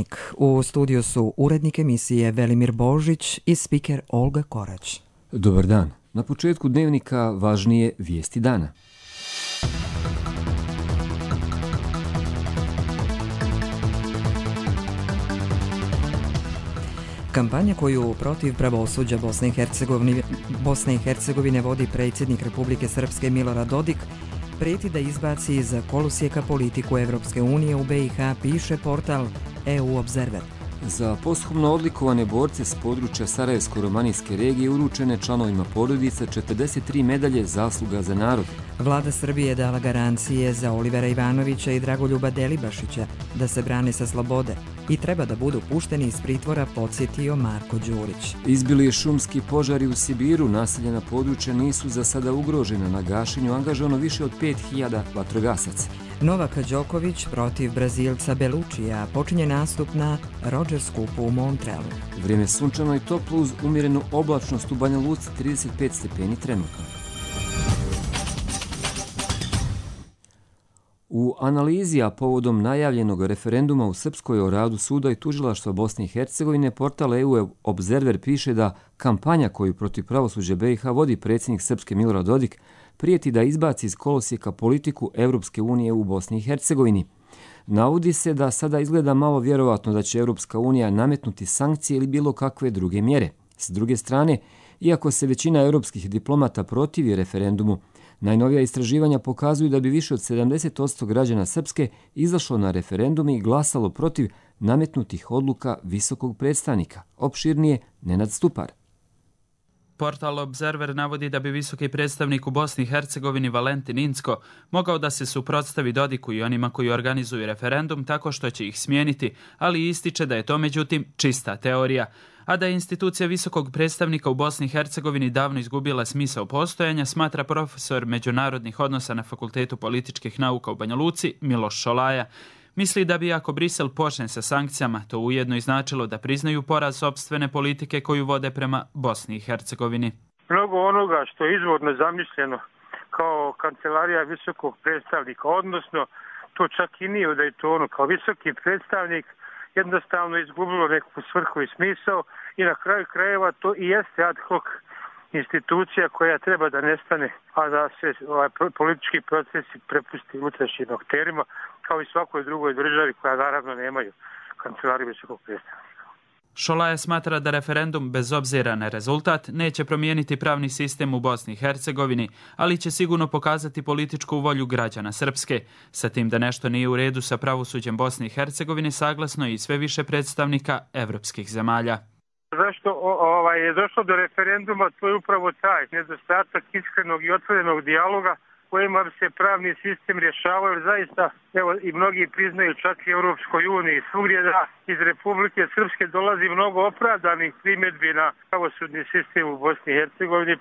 Dnevnik. U studiju su urednik emisije Velimir Božić i spiker Olga Korać. Dobar dan. Na početku Dnevnika važnije vijesti dana. Kampanja koju protiv pravosuđa Bosne i Hercegovine vodi predsjednik Republike Srpske Milorad Dodik prijeti da izbaci iz kolosijeka politiku Evropske unije u BiH, piše portal EU Observer. Za posthumno odlikovane borce s područja Sarajevsko-romanijske regije uručene članovima porodica 43 medalje zasluga za narod. Vlada Srbije je dala garancije za Olivera Ivanovića i Dragoljuba Delibašića da se brane sa slobode i treba da budu pušteni iz pritvora, podsjetio Marko Đurić. Izbili šumski požari u Sibiru, naseljena područja nisu za sada ugrožena, na gašenju angažovano više od 5000 vatrogasaca. Novak Đoković protiv Brazilca Belučija počinje nastup na Rogers Cupu u Montrealu. Vrijeme sunčano i toplo uz umjerenu oblačnost u Banja Luci, 35 stepeni trenutno. U analizi, a povodom najavljenog referenduma u Srpskoj o radu suda i tužilaštva Bosne i Hercegovine, portal EU Observer piše da kampanja koju protiv pravosuđa BiH vodi predsjednik Srpske Milorad Dodik prijeti da izbaci iz kolosijeka politiku Evropske unije u Bosni i Hercegovini. Navodi se da sada izgleda malo vjerovatno da će Evropska unija nametnuti sankcije ili bilo kakve druge mjere. S druge strane, iako se većina europskih diplomata protivi referendumu, najnovija istraživanja pokazuju da bi više od 70% građana Srpske izašlo na referendum i glasalo protiv nametnutih odluka visokog predstavnika. Opširnije Nenad Stupar. Portal Observer navodi da bi visoki predstavnik u Bosni i Hercegovini Valentin Incko mogao da se suprotstavi Dodiku i onima koji organizuju referendum tako što će ih smijeniti, ali ističe da je to međutim čista teorija, a da je institucija visokog predstavnika u Bosni i Hercegovini davno izgubila smisao postojanja, smatra profesor međunarodnih odnosa na Fakultetu političkih nauka u Banja Luci Miloš Šolaja. Misli da bi ako Brisel počne sa sankcijama, to ujedno i značilo da priznaju poraz sopstvene politike koju vode prema Bosni i Hercegovini. Mnogo onoga što je izvorno zamišljeno kao kancelarija visokog predstavnika, odnosno to čak i nije u Daytonu, kao visoki predstavnik jednostavno izgubilo neku svrhu i smisao i na kraju krajeva to i jeste ad hoc institucija koja treba da nestane, a da se politički procesi prepusti unutrašnjim akterima, kao i svakoj drugoj državi koja naravno nemaju kancelariju visokog predstavnika. Šolaja smatra da referendum, bez obzira na rezultat, neće promijeniti pravni sistem u Bosni i Hercegovini, ali će sigurno pokazati političku volju građana Srpske. Sa tim da nešto nije u redu sa pravosuđem Bosne i Hercegovine, saglasno je i sve više predstavnika evropskih zemalja. Zašto je došlo do referenduma, to je upravo taj nedostatak iskrenog i otvorenog dijaloga kojima bi se pravni sistem rješavao, jer zaista, evo i mnogi priznaju čak i Europskoj uniji, svugdje da iz Republike Srpske dolazi mnogo opravdanih primjedbi na pravosudni sistem u Bosni i Hercegovini.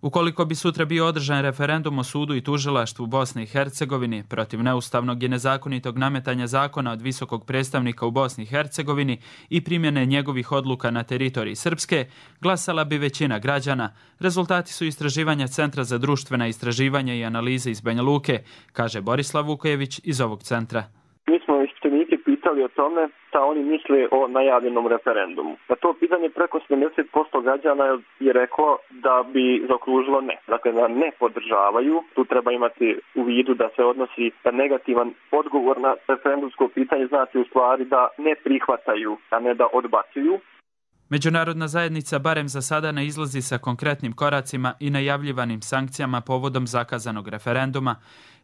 Ukoliko bi sutra bio održan referendum o sudu i tužilaštvu Bosne i Hercegovini protiv neustavnog i nezakonitog nametanja zakona od visokog predstavnika u Bosni i Hercegovini i primjene njegovih odluka na teritoriji Srpske, glasala bi većina građana. Rezultati su istraživanja Centra za društvena istraživanja i analize iz Banja Luke, kaže Borislav Vukojević iz ovog centra. Mi smo ispitanika pitali o tome šta oni misle o najavljenom referendumu. Na to pitanje preko 70% građana je reklo da bi zaokružilo ne. Dakle, da ne podržavaju. Tu treba imati u vidu da se odnosi na negativan odgovor na referendumsko pitanje, znači u stvari da ne prihvataju, a ne da odbacuju. Međunarodna zajednica barem za sada ne izlazi sa konkretnim koracima i najavljivanim sankcijama povodom zakazanog referenduma.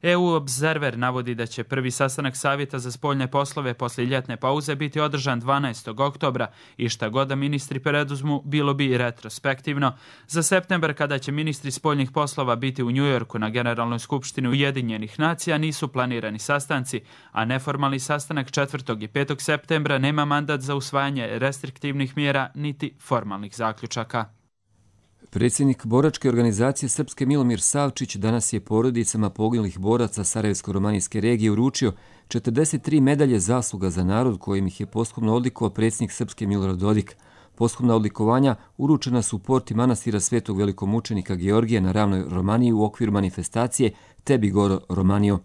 EU Observer navodi da će prvi sastanak Savjeta za spoljne poslove poslije ljetne pauze biti održan 12. oktobra i šta god da ministri preduzmu bilo bi i retrospektivno. Za septembar, kada će ministri spoljnih poslova biti u Njujorku na Generalnoj skupštini Ujedinjenih nacija, nisu planirani sastanci, a neformalni sastanak 4. i 5. septembra nema mandat za usvajanje restriktivnih mjera niti formalnih zaključaka. Predsjednik boračke organizacije Srpske Milomir Savčić danas je porodicama poginulih boraca Sarajevsko-romanijske regije uručio 43 medalje zasluga za narod kojim ih je posthumno odlikovao predsjednik Srpske Milorad Dodik. Posthumna odlikovanja uručena su u porti manastira Svetog velikomučenika Georgija na ravnoj Romaniji u okviru manifestacije Tebi Goro Romanio.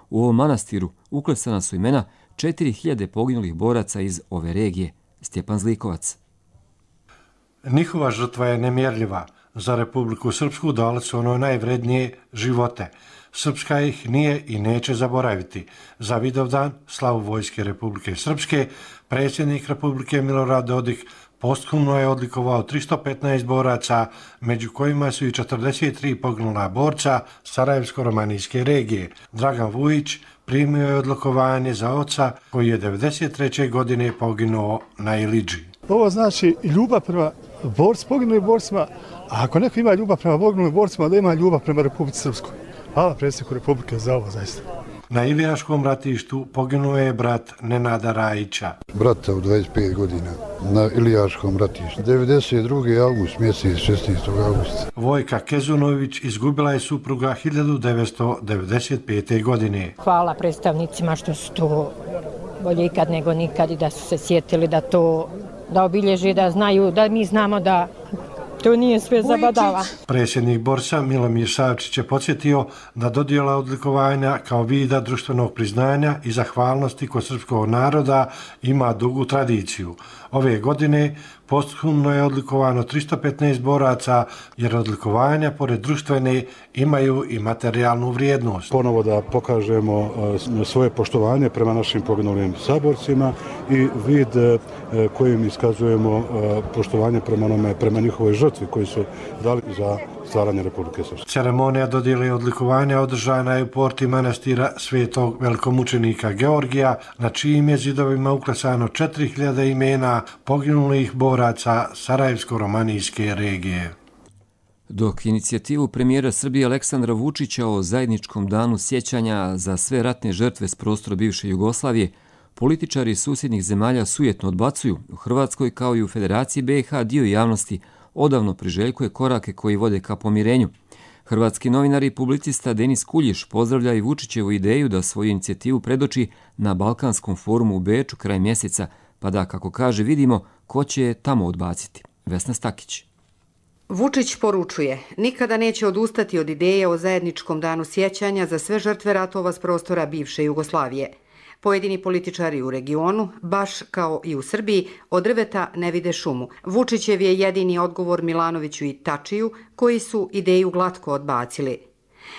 U ovom manastiru uklesana su imena 4000 poginulih boraca iz ove regije. Stjepan Zlikovac. Njihova žrtva je nemjerljiva. Za Republiku Srpsku dali su ono najvrednije živote. Srpska ih nije i neće zaboraviti. Za Vidovdan, slavu Vojske Republike Srpske, predsjednik Republike Milorad Dodik posthumno je odlikovao 315 boraca, među kojima su i 43 poginula borca Sarajevsko-romanijske regije. Dragan Vujić primio je odlikovanje za oca koji je 1993. godine poginuo na Ilidži. Ovo znači ljubav prema poginulim borcima, a ako neko ima ljubav prema poginulim borcima, da ima ljubav prema Republici Srpskoj. Hvala predsjedniku Republike za ovo zaista. Na Ilijaškom ratištu poginuo je brat Nenada Rajića. Brata u 25 godina na Ilijaškom ratištu. 92. august, mjesec 16. augusta. Vojka Kezunović izgubila je supruga 1995. godine. Hvala predstavnicima što su to bolje ikad nego nikad i da su se sjetili da to da obilježi, da znaju, da mi znamo da to nije sve zabadava. Predsjednik Borsa Milomir Savčić je podsjetio da dodjela odlikovanja kao vida društvenog priznanja i zahvalnosti kod srpskog naroda ima dugu tradiciju. Ove godine posthumno je odlikovano 315 boraca, jer odlikovanja pored društvene imaju i materijalnu vrijednost. Ponovo da pokažemo svoje poštovanje prema našim poginulim saborcima i vid kojim iskazujemo poštovanje prema njihovoj žrtvi koji su dali za stvaranje Republike Srpske. Ceremonija dodjele odlikovanja održana je u porti manastira Svetog velikomučenika Georgija, na čijim je zidovima uklesano 4000 imena poginulih boraca Sarajevsko-romanijske regije. Dok inicijativu premijera Srbije Aleksandra Vučića o zajedničkom danu sjećanja za sve ratne žrtve s prostora bivše Jugoslavije, političari susjednih zemalja sujetno odbacuju, u Hrvatskoj kao i u Federaciji BiH dio javnosti odavno priželjkuje korake koji vode ka pomirenju. Hrvatski novinar i publicista Denis Kuljiš pozdravlja i Vučićevu ideju da svoju inicijativu predoči na Balkanskom forumu u Beču kraj mjeseca, pa da, kako kaže, vidimo ko će je tamo odbaciti. Vesna Stakić. Vučić poručuje, nikada neće odustati od ideje o zajedničkom danu sjećanja za sve žrtve ratova s prostora bivše Jugoslavije. Pojedini političari u regionu, baš kao i u Srbiji, od drveta ne vide šumu. Vučićev je jedini odgovor Milanoviću i Tačiju, koji su ideju glatko odbacili.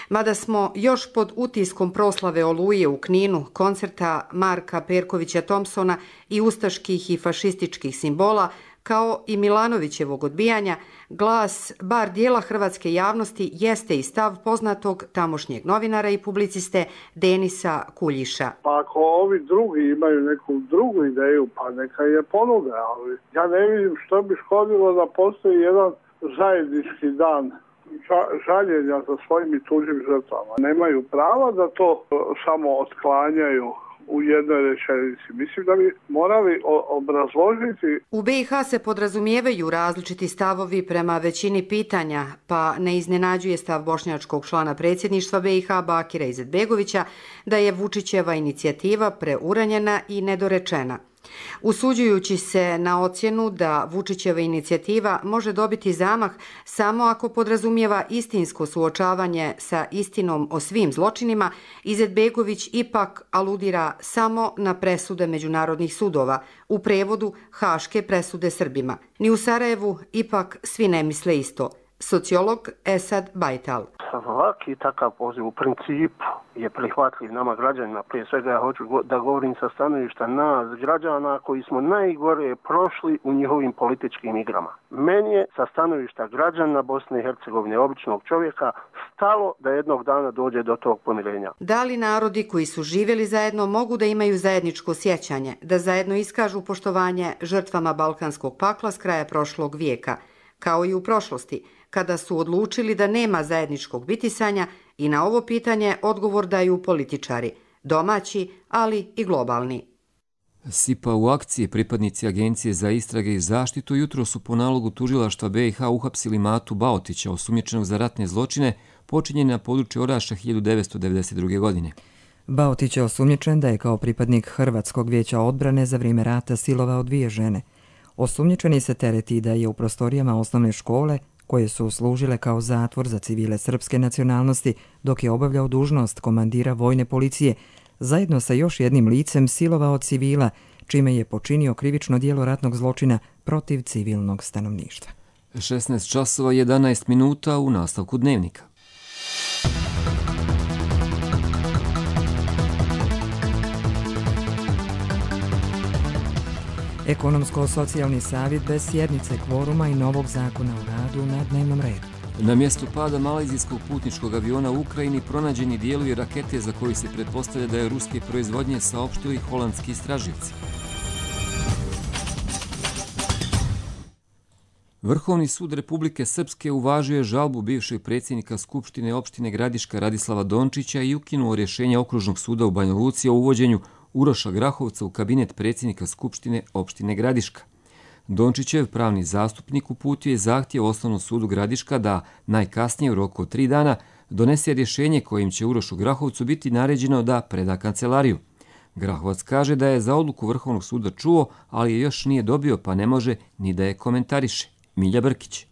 Mada smo još pod utiskom proslave Oluje u Kninu, koncerta Marka Perkovića Thompsona i ustaških i fašističkih simbola, kao i Milanovićevog odbijanja, glas bar dijela hrvatske javnosti jeste i stav poznatog tamošnjeg novinara i publiciste Denisa Kuljiša. Pa ako ovi drugi imaju neku drugu ideju, pa neka je ponude, ali ja ne vidim što bi škodilo da postoji jedan zajednički dan žaljenja za svojim i tuđim žrtvama. Nemaju prava da to samo otklanjaju u jednoj rečenici. Mislim da bi morali obrazložiti. U BiH se podrazumijevaju različiti stavovi prema većini pitanja, pa ne iznenađuje stav bošnjačkog člana predsjedništva BiH Bakira Izetbegovića da je Vučićeva inicijativa preuranjena i nedorečena. Usuđujući se na ocjenu da Vučićeva inicijativa može dobiti zamah samo ako podrazumijeva istinsko suočavanje sa istinom o svim zločinima, Izetbegović ipak aludira samo na presude međunarodnih sudova, u prevodu Haške presude Srbima. Ni u Sarajevu ipak svi ne misle isto. Sociolog Esad Bajtal. Svaki takav poziv u principu je prihvatljiv nama građanima. Prije svega ja hoću da govorim sa stanovišta nas građana koji smo najgore prošli u njihovim političkim igrama. Meni je sa stanovišta građana Bosne i Hercegovine, običnog čovjeka, stalo da jednog dana dođe do tog pomirenja. Da li narodi koji su živjeli zajedno mogu da imaju zajedničko sjećanje, da zajedno iskažu poštovanje žrtvama Balkanskog pakla s kraja prošlog vijeka, kao i u prošlosti, kada su odlučili da nema zajedničkog bitisanja, i na ovo pitanje odgovor daju političari, domaći, ali i globalni. SIPA u akciji pripadnici Agencije za istrage i zaštitu jutro su po nalogu tužilaštva BiH uhapsili Matu Baotića, osumnjičenog za ratne zločine počinjene na području Oraša 1992. godine. Baotić je osumnjičen da je kao pripadnik Hrvatskog vijeća odbrane za vrijeme rata silovao 2 žene. Osumnjičeni se tereti da je u prostorijama osnovne škole, koje su služile kao zatvor za civile srpske nacionalnosti, dok je obavljao dužnost komandira vojne policije, zajedno sa još jednim licem silovao civila, čime je počinio krivično djelo ratnog zločina protiv civilnog stanovništva. 16 časova 11 minuta u nastavku dnevnika. Ekonomsko-socijalni savjet bez sjednice, kvoruma i novog zakona o radu na dnevnom redu. Na mjestu pada malezijskog putničkog aviona u Ukrajini pronađeni dijelovi rakete za koji se pretpostavlja da je ruske proizvodnje, saopštili holandski istraživci. Vrhovni sud Republike Srpske uvažio je žalbu bivšeg predsjednika Skupštine opštine Gradiška Radislava Dončića i ukinuo rješenje Okružnog suda u Banja Luci o uvođenju Uroša Grahovca u kabinet predsjednika Skupštine opštine Gradiška. Dončićev pravni zastupnik uputio je zahtjev Osnovnom sudu Gradiška da najkasnije u roku od 3 dana donese rješenje kojim će Urošu Grahovcu biti naređeno da preda kancelariju. Grahovac kaže da je za odluku Vrhovnog suda čuo, ali je još nije dobio pa ne može ni da je komentariše. Milja Brkić.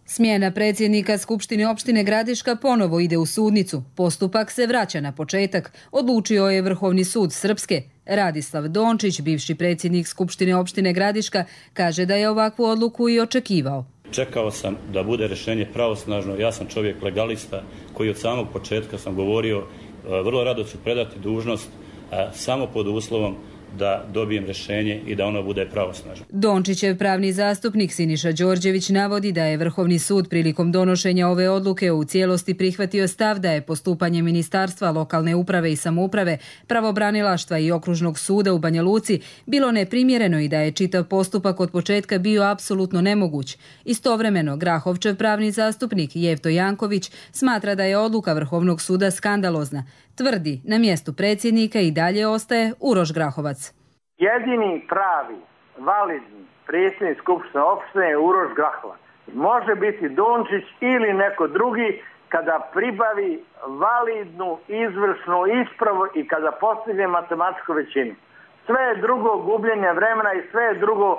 Smjena predsjednika Skupštine opštine Gradiška ponovo ide u sudnicu. Postupak se vraća na početak, odlučio je Vrhovni sud Srpske. Radislav Dončić, bivši predsjednik Skupštine opštine Gradiška, kaže da je ovakvu odluku i očekivao. Čekao sam da bude rješenje pravosnažno, ja sam čovjek legalista koji od samog početka sam govorio vrlo rado ću predati dužnost samo pod uslovom da dobijem rješenje i da ono bude pravosnažno. Dončićev pravni zastupnik Siniša Đorđević navodi da je Vrhovni sud prilikom donošenja ove odluke u cijelosti prihvatio stav da je postupanje Ministarstva lokalne uprave i samouprave, pravobranilaštva i Okružnog suda u Banja Luci bilo neprimjereno i da je čitav postupak od početka bio apsolutno nemoguć. Istovremeno, Grahovčev pravni zastupnik Jevto Janković smatra da je odluka Vrhovnog suda skandalozna. Tvrdi, na mjestu predsjednika i dalje ostaje Uroš Grahovac. Jedini pravi, validni predsjednik Skupštine opštine je Uroš Grahovac. Može biti Dončić ili neko drugi kada pribavi validnu izvršnu ispravu i kada postigne matematičku većinu. Sve je drugo gubljenje vremena i sve je drugo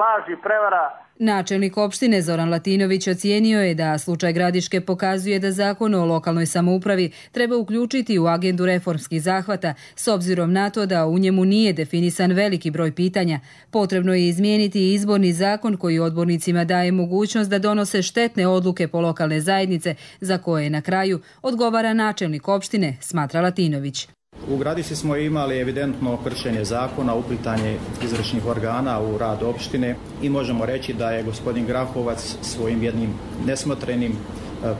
laž i prevara. Načelnik opštine Zoran Latinović ocijenio je da slučaj Gradiške pokazuje da zakon o lokalnoj samoupravi treba uključiti u agendu reformskih zahvata, s obzirom na to da u njemu nije definisan veliki broj pitanja. Potrebno je izmijeniti izborni zakon koji odbornicima daje mogućnost da donose štetne odluke po lokalne zajednice, za koje na kraju odgovara načelnik opštine, smatra Latinović. U Gradišci smo imali evidentno kršenje zakona, uplitanje izvršnih organa u rad opštine i možemo reći da je gospodin Grahovac svojim jednim nesmotrenim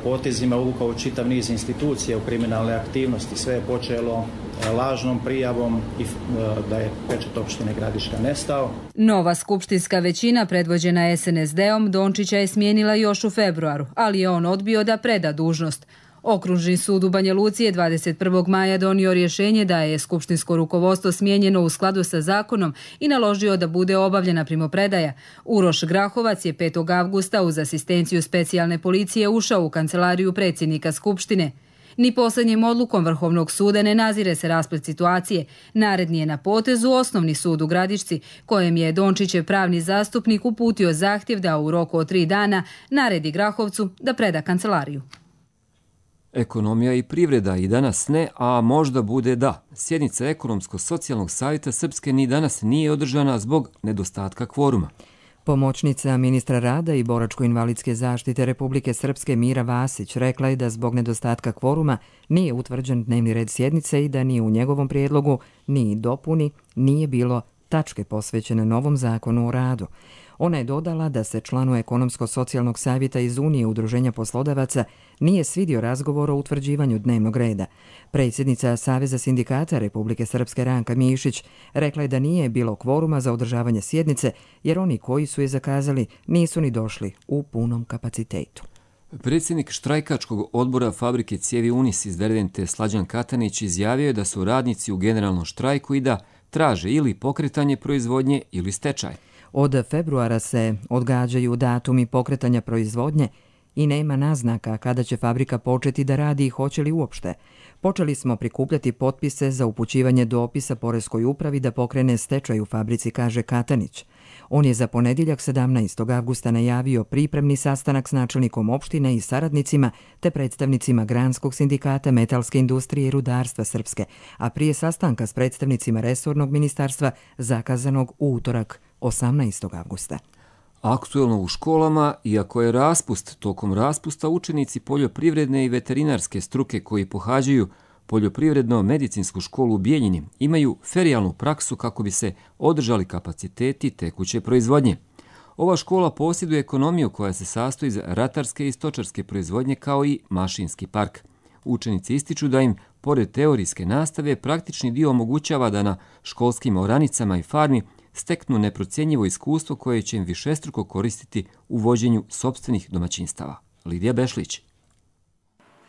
potezima uvukao čitav niz institucija u kriminalne aktivnosti. Sve je počelo lažnom prijavom i da je pečat opštine Gradiška nestao. Nova skupštinska većina predvođena SNSD-om Dončića je smijenila još u februaru, ali je on odbio da preda dužnost. Okružni sud u Banja Luci je 21. maja donio rješenje da je skupštinsko rukovodstvo smijenjeno u skladu sa zakonom i naložio da bude obavljena primopredaja. Uroš Grahovac je 5. avgusta uz asistenciju specijalne policije ušao u kancelariju predsjednika Skupštine. Ni posljednjim odlukom Vrhovnog suda ne nazire se rasplet situacije. Naredni je na potezu Osnovni sud u Gradišci, kojem je Dončićev pravni zastupnik uputio zahtjev da u roku od 3 dana naredi Grahovcu da preda kancelariju. Ekonomija i privreda i danas ne, a možda bude da. Sjednica Ekonomsko-socijalnog savjeta Srpske ni danas nije održana zbog nedostatka kvoruma. Pomoćnica ministra rada i boračko-invalidske zaštite Republike Srpske Mira Vasić rekla je da zbog nedostatka kvoruma nije utvrđen dnevni red sjednice i da ni u njegovom prijedlogu, ni dopuni, nije bilo tačke posvećene novom zakonu o radu. Ona je dodala da se članu Ekonomsko-socijalnog savjeta iz Unije Udruženja poslodavaca nije svidio razgovor o utvrđivanju dnevnog reda. Predsjednica Saveza sindikata Republike Srpske Ranka Mišić rekla je da nije bilo kvoruma za održavanje sjednice jer oni koji su je zakazali nisu ni došli u punom kapacitetu. Predsjednik štrajkačkog odbora fabrike cijevi Unis iz Dervente Slađan Katanić izjavio je da su radnici u generalnom štrajku i da traže ili pokretanje proizvodnje ili stečaj. Od februara se odgađaju datumi pokretanja proizvodnje i nema naznaka kada će fabrika početi da radi i hoće li uopšte. Počeli smo prikupljati potpise za upućivanje dopisa Poreskoj upravi da pokrene stečaj u fabrici, kaže Katanić. On je za ponedjeljak 17. avgusta najavio pripremni sastanak s načelnikom opštine i saradnicima te predstavnicima Granskog sindikata metalske industrije i rudarstva Srpske, a prije sastanka s predstavnicima resornog ministarstva zakazanog u utorak 18. avgusta. Aktuelno u školama, iako je raspust, tokom raspusta učenici poljoprivredne i veterinarske struke koji pohađaju poljoprivredno-medicinsku školu u Bijeljini imaju ferijalnu praksu kako bi se održali kapaciteti tekuće proizvodnje. Ova škola posjeduje ekonomiju koja se sastoji iz ratarske i stočarske proizvodnje kao i mašinski park. Učenici ističu da im, pored teorijske nastave, praktični dio omogućava da na školskim oranicama i farmi steknu neprocjenjivo iskustvo koje će im višestruko koristiti u vođenju sopstvenih domaćinstava. Lidija Bešlić.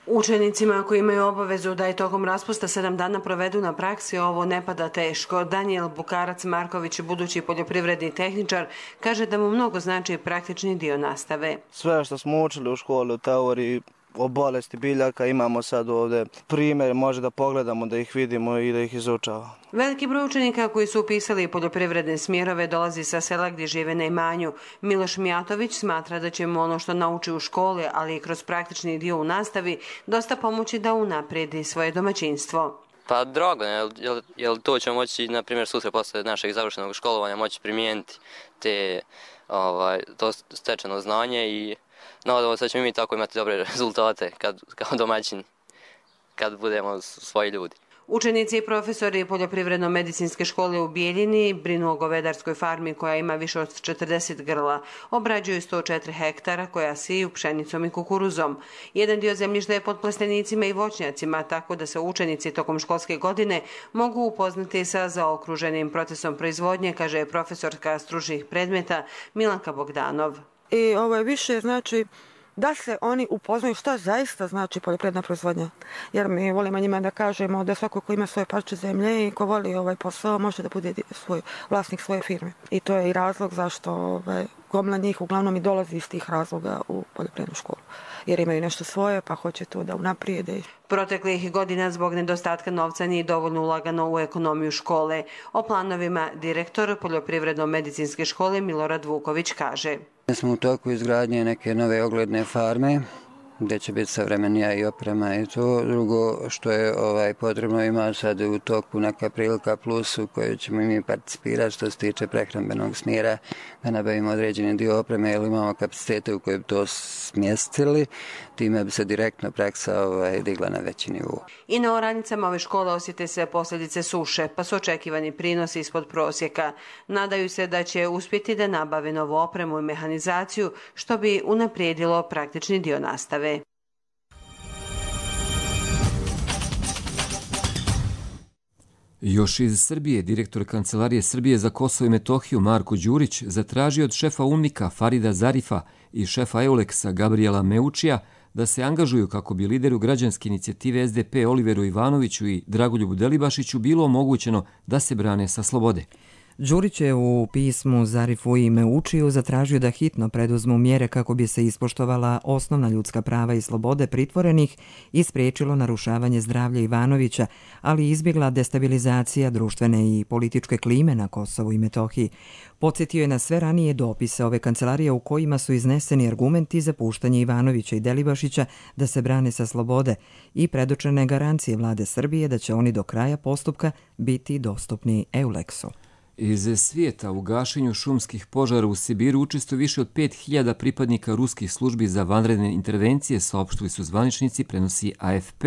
Učenicima koji imaju obavezu da je tokom raspusta 7 dana provedu na praksi ovo ne pada teško. Daniel Bukarac-Marković, budući poljoprivredni tehničar, kaže da mu mnogo znači praktični dio nastave. Sve što smo učili u školi, u teoriji, o bolesti biljaka, imamo sad ovdje primjer, može da pogledamo, da ih vidimo i da ih izučavamo. Veliki broj učenika koji su upisali poljoprivredne smjerove dolazi sa sela gdje žive na imanju. Miloš Mijatović smatra da će mu ono što nauči u školi, ali i kroz praktični dio u nastavi, dosta pomoći da unaprijedi svoje domaćinstvo. Pa drago, jer to ćemo moći, na primjer, sutra posle našeg završenog školovanja moći primijeniti to stečeno znanje i nadamo se da ćemo mi tako imati dobre rezultate kao domaćini, kad budemo svoji ljudi. Učenici i profesori poljoprivredno-medicinske škole u Bijeljini brinu o govedarskoj farmi koja ima više od 40 grla. Obrađuju 104 hektara koja siju pšenicom i kukuruzom. Jedan dio zemljišta je pod plastenicima i voćnjacima, tako da se učenici tokom školske godine mogu upoznati sa zaokruženim procesom proizvodnje, kaže profesorka stručnih predmeta Milanka Bogdanov. I ovo je više znači da se oni upoznaju šta zaista znači poljoprivredna proizvodnja. Jer mi volimo njima da kažemo da svako ko ima svoje parče zemlje i ko voli ovaj posao može da bude vlasnik svoje firme. I to je i razlog zašto gomila njih uglavnom i dolazi iz tih razloga u poljoprivrednu školu. Jer imaju nešto svoje pa hoće to da unaprijede. Proteklih godina zbog nedostatka novca nije dovoljno ulagano u ekonomiju škole. O planovima direktor poljoprivredno-medicinske škole Milorad Vuković kaže. Smo u toku izgradnje neke nove ogledne farme gdje će biti savremenija i oprema i to. Drugo što je potrebno, ima sad u toku neka prilika plus u kojoj ćemo mi participirati što se tiče prehrambenog smjera, da nabavimo određeni dio opreme jer imamo kapacitete u kojoj bi to smjestili, time bi se direktno praksa digla na veći nivou. I na oranicama ove škole osjete se posljedice suše, pa su očekivani prinosi ispod prosjeka. Nadaju se da će uspjeti da nabave novu opremu i mehanizaciju, što bi unaprijedilo praktični dio nastave. Još iz Srbije, direktor Kancelarije Srbije za Kosovo i Metohiju Marko Đurić zatražio od šefa UNMIK-a Farida Zarifa i šefa EULEX-a Gabriela Meučija da se angažuju kako bi lideru građanske inicijative SDP Oliveru Ivanoviću i Dragoljubu Delibašiću bilo omogućeno da se brane sa slobode. Đurić je u pismu Zarifu i Meučiju zatražio da hitno preduzmu mjere kako bi se ispoštovala osnovna ljudska prava i slobode pritvorenih i spriječilo narušavanje zdravlja Ivanovića, ali izbjegla destabilizacija društvene i političke klime na Kosovu i Metohiji. Podsjetio je na sve ranije dopise ove kancelarije u kojima su izneseni argumenti za puštanje Ivanovića i Delibašića da se brane sa slobode i predočene garancije vlade Srbije da će oni do kraja postupka biti dostupni EULEX-u. Iz svijeta u gašenju šumskih požara u Sibiru učestvuje više od 5000 pripadnika ruskih službi za vanredne intervencije, saopštili su zvaničnici, prenosi AFP.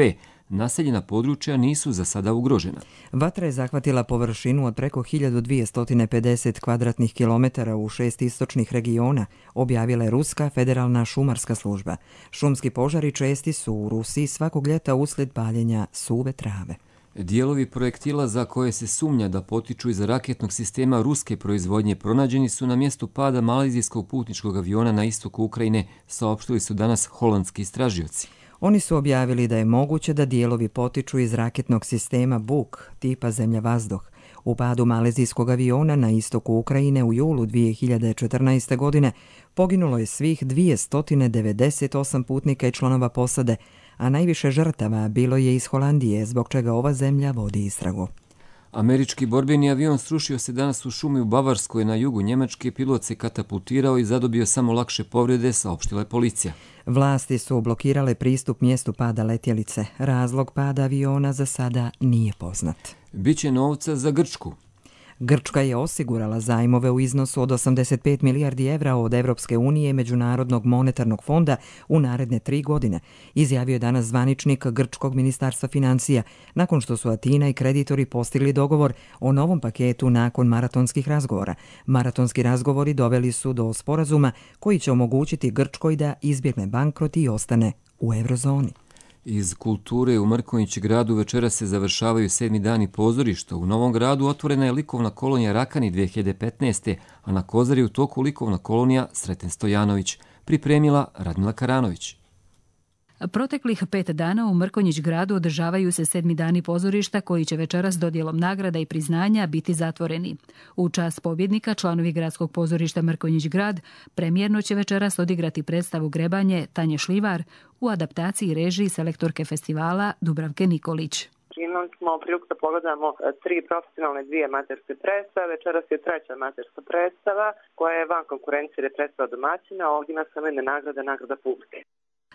Naseljena područja nisu za sada ugrožena. Vatra je zahvatila površinu od preko 1250 kvadratnih kilometara u 6 istočnih regiona, objavila je Ruska federalna šumarska služba. Šumski požari česti su u Rusiji svakog ljeta uslijed paljenja suve trave. Dijelovi projektila za koje se sumnja da potiču iz raketnog sistema ruske proizvodnje pronađeni su na mjestu pada malezijskog putničkog aviona na istoku Ukrajine, saopštili su danas holandski istražioci. Oni su objavili da je moguće da dijelovi potiču iz raketnog sistema Buk tipa zemlja-vazduh. U padu malezijskog aviona na istoku Ukrajine u julu 2014. godine poginulo je svih 298 putnika i članova posade, a najviše žrtava bilo je iz Holandije, zbog čega ova zemlja vodi istragu. Američki borbeni avion srušio se danas u šumi u Bavarskoj na jugu Njemačke, pilot se katapultirao i zadobio samo lakše povrede, saopštila je policija. Vlasti su blokirale pristup mjestu pada letjelice. Razlog pada aviona za sada nije poznat. Biće novca za Grčku. Grčka je osigurala zajmove u iznosu od 85 milijardi evra od Evropske unije i Međunarodnog monetarnog fonda u naredne 3 godine, izjavio je danas zvaničnik Grčkog ministarstva financija, nakon što su Atina i kreditori postigli dogovor o novom paketu nakon maratonskih razgovora. Maratonski razgovori doveli su do sporazuma koji će omogućiti Grčkoj da izbjegne bankrot i ostane u eurozoni. Iz kulture u Mrkonjić gradu večeras se završavaju 7. dani pozorišta. U Novom gradu otvorena je likovna kolonija Rakani 2015. a na Kozari u toku likovna kolonija Sreten Stojanović. Pripremila Radmila Karanović. Proteklih 5 dana u Mrkonjić gradu održavaju se 7. dani pozorišta koji će večeras dodjelom nagrada i priznanja biti zatvoreni. U čast pobjednika članovi gradskog pozorišta Mrkonjić grad premijerno će večeras odigrati predstavu Grebanje Tanje Šljivar u adaptaciji i režiji selektorke festivala Dubravke Nikolić. Imali smo priliku da pogledamo 3 profesionalne, 2 amaterske predstave. Večeras je 3. amaterska predstava koja je van konkurencije jer je predstava domaćina, a ovdje ima samo jedna nagrada publike.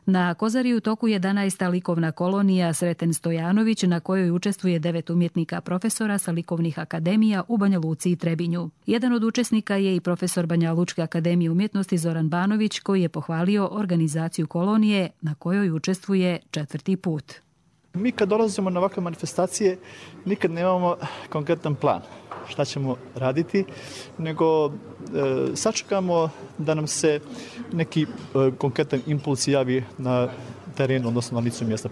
Na Kozari u toku 11. likovna kolonija Sreten Stojanović, na kojoj učestvuje 9 umjetnika profesora sa likovnih akademija u Banja Luci i Trebinju. Jedan od učesnika je i profesor Banja Lučke akademije umjetnosti Zoran Banović, koji je pohvalio organizaciju kolonije na kojoj učestvuje 4. put. Mi kad dolazimo na ovakve manifestacije nikad nemamo konkretan plan šta ćemo raditi, nego sačekamo da nam se neki konkretan impuls javi na terenu, odnosno na licu mjesta.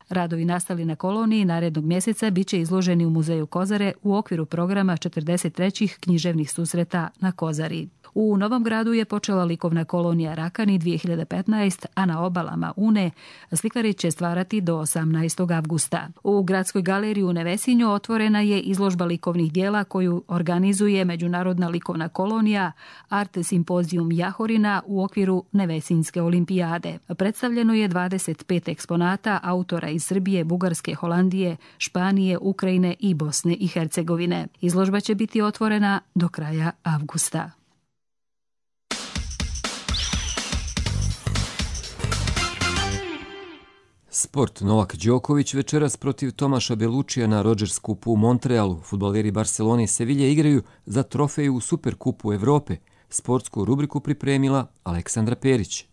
Radovi nastali na koloniji narednog mjeseca bit će izloženi u muzeju Kozare u okviru programa 43. književnih susreta na Kozari. U Novom gradu je počela likovna kolonija Rakani 2015, a na obalama Une slikari će stvarati do 18. avgusta. U Gradskoj galeriji u Nevesinju otvorena je izložba likovnih dijela koju organizuje Međunarodna likovna kolonija Art Simpozijum Jahorina u okviru Nevesinjske olimpijade. Predstavljeno je 25 eksponata autora iz Srbije, Bugarske, Holandije, Španije, Ukrajine i Bosne i Hercegovine. Izložba će biti otvorena do kraja avgusta. Sport. Novak Đoković večeras protiv Tomaša Belučija na Rogers Cupu u Montrealu. Fudbaleri Barcelone i Sevilje igraju za trofeju u Superkupu Evrope. Sportsku rubriku pripremila Aleksandra Perić.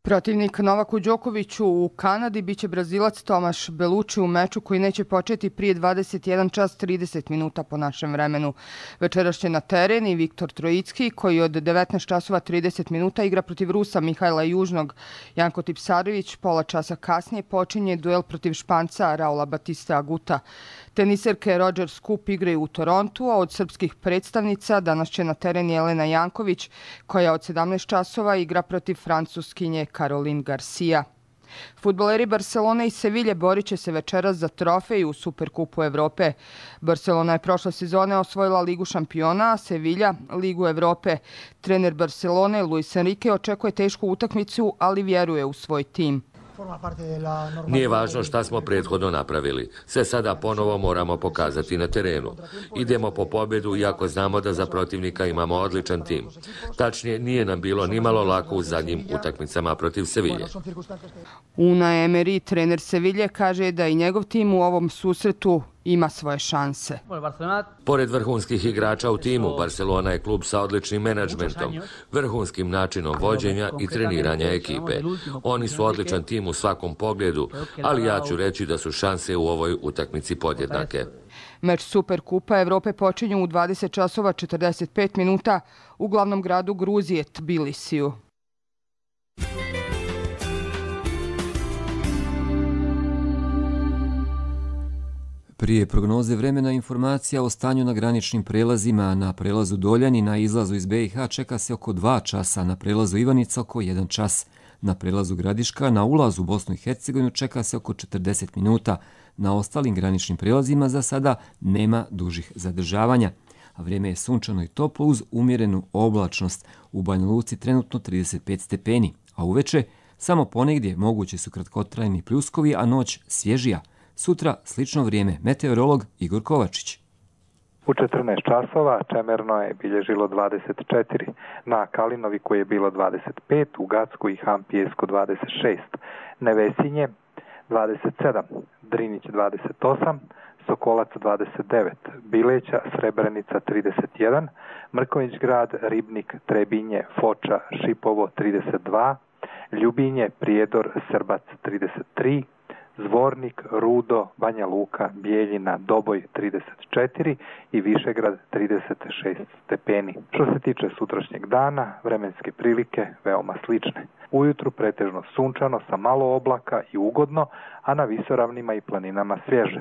Protivnik Novaku Đokoviću u Kanadi biće Brazilac Tomaš Beluči u meču koji neće početi prije 21 čas 30 minuta po našem vremenu. Večeras će na teren i Viktor Trojicki koji od 19 časova 30 minuta igra protiv Rusa Mihajla Južnog. Janko Tipsarević pola časa kasnije počinje duel protiv Španca Raula Batista Aguta. Teniserke Rogers Cup igraju u Torontu, a od srpskih predstavnica danas će na teren Jelena Janković koja od 17 časova igra protiv Francuskinje Caroline Garcia. Fudbaleri Barcelone i Sevilje borit će se večeras za trofej u Superkupu Evrope. Barcelona je prošle sezone osvojila Ligu šampiona, a Sevilja Ligu Evrope. Trener Barcelone Luis Enrique očekuje tešku utakmicu, ali vjeruje u svoj tim. Nije važno šta smo prethodno napravili. Sve sada ponovo moramo pokazati na terenu. Idemo po pobjedu iako znamo da za protivnika imamo odličan tim. Tačnije, nije nam bilo nimalo lako u zadnjim utakmicama protiv Sevilje. Unai Emery, trener Sevilje, kaže da i njegov tim u ovom susretu ima svoje šanse. Pored vrhunskih igrača u timu, Barcelona je klub sa odličnim menadžmentom, vrhunskim načinom vođenja i treniranja ekipe. Oni su odličan tim u svakom pogledu, ali ja ću reći da su šanse u ovoj utakmici podjednake. Meč Superkupa Evrope počinju u 20 časova 45 minuta u glavnom gradu Gruzije Tbilisiju. Prije prognoze vremena informacija o stanju na graničnim prelazima. Na prelazu Doljani na izlazu iz BiH čeka se oko 2 časa, na prelazu Ivanica oko 1 čas. Na prelazu Gradiška na ulazu u Bosnu i Hercegovinu čeka se oko 40 minuta. Na ostalim graničnim prelazima za sada nema dužih zadržavanja. A vrijeme je sunčano i toplo uz umjerenu oblačnost. U Banja Luci trenutno 35 stepeni, a uveče samo ponegdje mogući su kratkotrajni pljuskovi, a noć svježija. Sutra slično vrijeme. Meteorolog Igor Kovačić. U 14 časova Čemerno je bilježilo 24, na Kalinoviku je bilo 25, u Gacku i Hampijesku 26, Nevesinje 27, Drinić 28, Sokolac 29, Bileća, Srebrenica 31, Mrkonjić grad, Ribnik, Trebinje, Foča, Šipovo 32, Ljubinje, Prijedor, Srbac 33, Zvornik, Rudo, Banja Luka, Bijeljina, Doboj 34 i Višegrad 36 stepeni. Što se tiče sutrašnjeg dana, vremenske prilike veoma slične. Ujutru pretežno sunčano sa malo oblaka i ugodno, a na visoravnima i planinama svježe.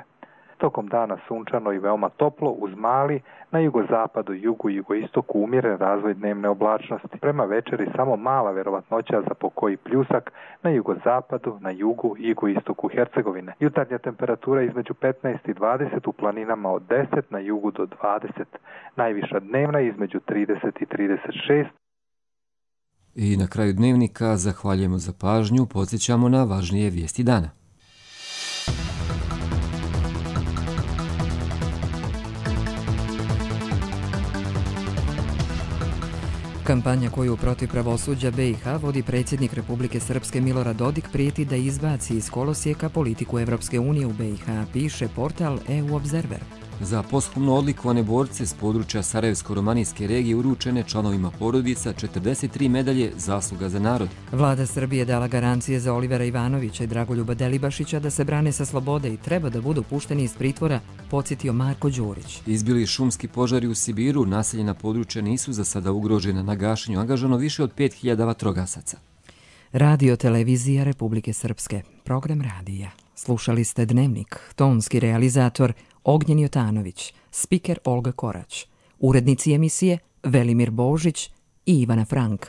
Tokom dana sunčano i veoma toplo uz mali, na jugozapadu, jugu i jugoistoku umjeren razvoj dnevne oblačnosti. Prema večeri samo mala vjerovatnoća za pokoji pljusak na jugozapadu, na jugu i jugoistoku Hercegovine. Jutarnja temperatura između 15 i 20, u planinama od 10, na jugu do 20. Najviša dnevna između 30 i 36. I na kraju dnevnika zahvaljujemo za pažnju, podsjećamo na važnije vijesti dana. Kampanja koju protiv pravosuđa BiH vodi predsjednik Republike Srpske Milorad Dodik prijeti da izbaci iz kolosijeka politiku Evropske unije u BiH, piše portal EU Observer. Za posthumno odlikovane borce s područja Sarajevsko-romanijske regije uručene članovima porodica 43 medalje Zasluga za narod. Vlada Srbije dala garancije za Olivera Ivanovića i Dragoljuba Delibašića da se brane sa slobode i treba da budu pušteni iz pritvora, podsjetio Marko Đurić. Izbili šumski požari u Sibiru, naseljena područja nisu za sada ugrožena, na gašenju angažano više od 5000 vatrogasaca. Radio Televizija Republike Srpske, program radija. Slušali ste Dnevnik, tonski realizator Ognjen Jotanović, spiker Olga Korać, urednici emisije Velimir Božić i Ivana Frank.